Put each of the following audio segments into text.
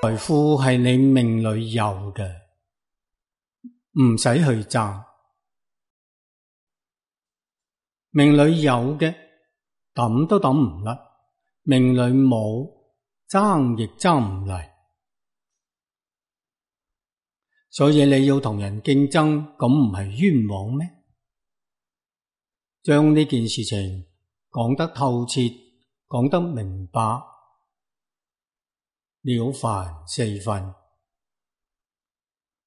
財富係你命裏有嘅，唔使去爭。命裏有嘅，抌都抌唔甩；命裏冇，爭亦爭唔嚟。所以你要同人競爭，咁唔係冤枉咩？將呢件事情講得透徹，講得明白，了凡四訓。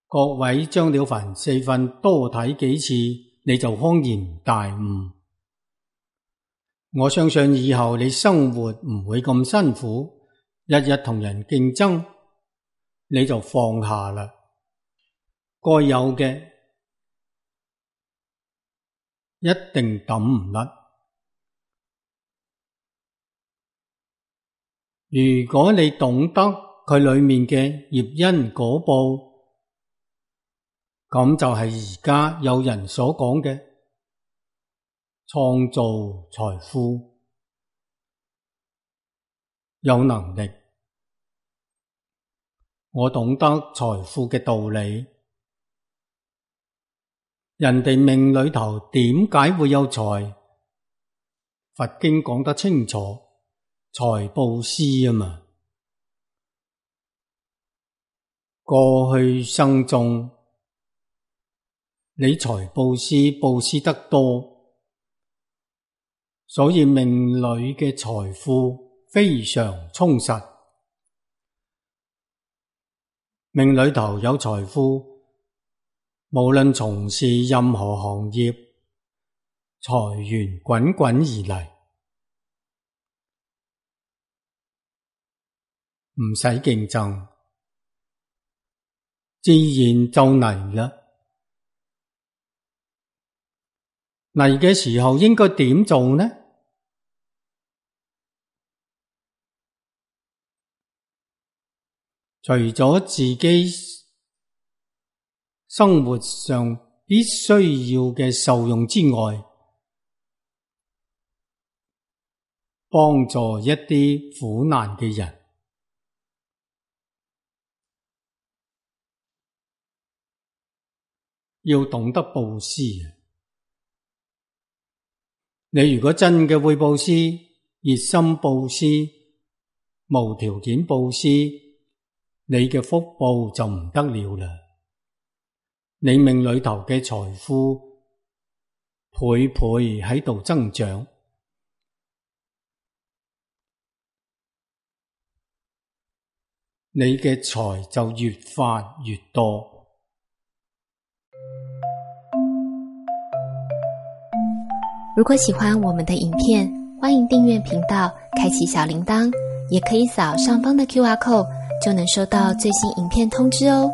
各位將了凡四訓多睇幾次，你就恍然大悟。我相信以後你生活唔會咁辛苦，日日同人競爭，你就放下啦。該有嘅一定抌唔甩。如果你懂得佢裏面嘅業因果報，咁就係而家有人所講嘅創造財富，有能力。我懂得財富嘅道理。人哋命裏頭點解會有財？佛經講得清楚，財布施啊嘛。過去生中，你財布施布施得多，所以命裏嘅財富非常充實。命裏頭有財富，無論從事任何行業，財源滾滾而嚟，唔使競爭，自然就嚟啦。嚟嘅時候應該點做呢？除咗自己生活上必須要嘅受用之外，幫助一啲苦難嘅人，要懂得布施。你如果真嘅會布施，熱心布施，無條件布施，你嘅福報就唔得了啦。你命裏頭嘅財富倍倍喺度增長，你嘅財就越發越多。如果喜歡我們的影片，歡迎訂閱頻道，開啟小鈴鐺，也可以掃上方的QR code，就能收到最新影片通知哦。